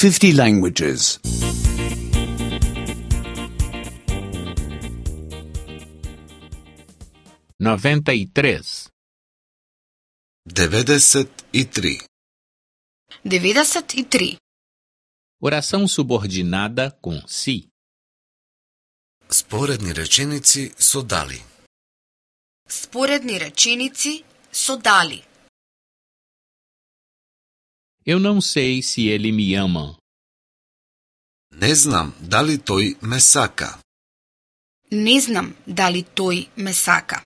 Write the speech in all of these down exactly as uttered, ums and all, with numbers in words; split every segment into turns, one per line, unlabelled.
fifty languages.
noventa e três.
devedeset e tri.
devedeset e tri.
Oração subordinada com si.
Споредни реченици со дали.
Споредни реченици со дали.
Eu não sei se ele me ama.
Не знам дали тој ме сака.
Не знам дали тој ме сака.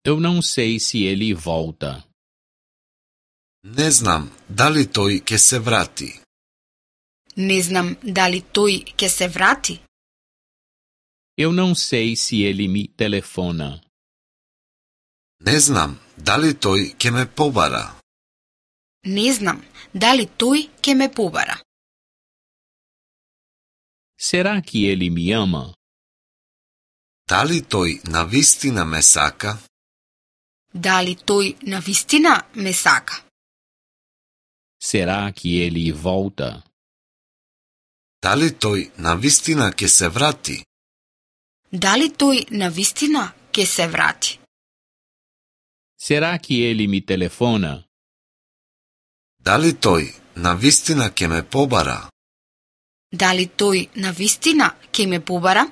Eu não sei se ele volta.
Не знам дали тој ќе се врати.
Не знам дали тој ќе се врати.
Eu não sei se ele me telefona.
Не знам дали тој ќе ме побара.
Не знам дали тој ќе ме побара.
Será que ele me ama?
Дали тој навистина ме сака?
Дали тој навистина ме сака?
Será que ele volta?
Дали тој навистина ќе се врати?
Дали тој навистина ќе се врати?
Será que ele me telefona?
Дали тој навистина ќе ме побара?
Дали тој навистина ќе ме побара?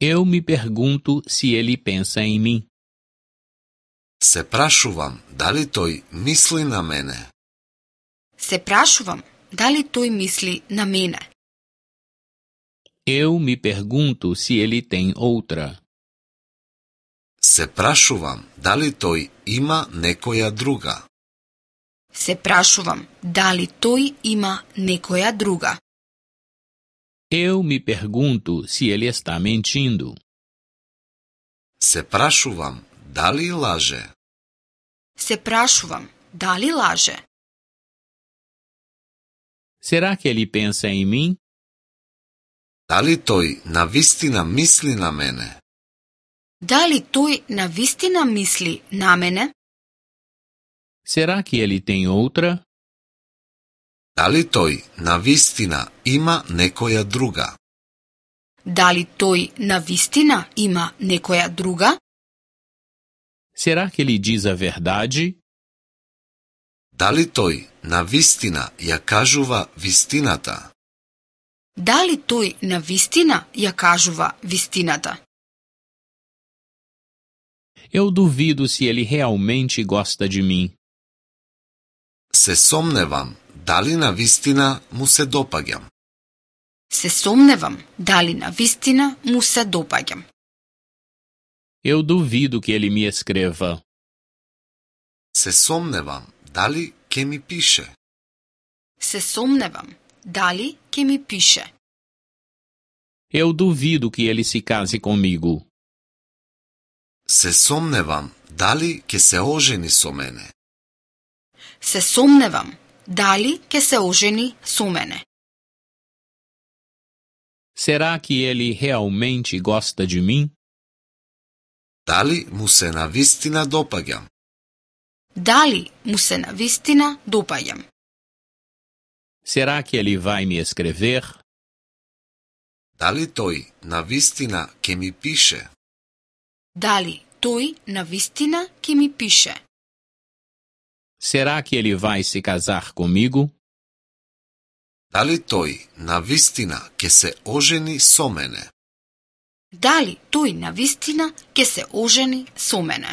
Eu me pergunto se ele pensa em mim.
Се прашувам дали тој мисли на мене.
Се прашувам дали тој мисли на мене.
Eu me pergunto se ele tem outra.
Се прашувам дали тој има некоја друга.
Се прашувам дали тој има некоја друга.
Eu me pergunto se ele está mentindo.
Се прашувам дали лаже.
Се прашувам дали лаже.
Será que ele pensa em mim?
Дали тој навистина мисли на мене?
Дали тој навистина мисли на мене?
Será que ele tem outra?
Дали тој навистина има некоја друга?
Дали тој навистина има некоја друга?
Será que ele diz a verdade?
Дали тој навистина ја кажува вистината?
Дали тој навистина ја кажува вистината?
Eu duvido se ele realmente gosta de mim.
Се сомневам дали навистина му се допаѓам.
Се сомневам дали навистина му се допаѓам.
Eu duvido que ele me escreva.
Се сомневам дали ќе ми пише.
Се сомневам дали ќе ми пише.
Eu duvido que ele se case comigo.
Се сомневам дали ќе се ожени со мене.
Се сомневам дали ќе се ожени со мене.
Será que ele realmente gosta de mim?
Дали му се навистина допаѓам?
Дали му се навистина допаѓам?
Será que ele vai me escrever?
Дали тој навистина ќе ми пише?
Дали тој навистина ќе ми пише?
Será que ele vai se casar comigo?
Дали тој навистина ќе се ожени со мене?
Дали тој навистина ќе се ожени со мене?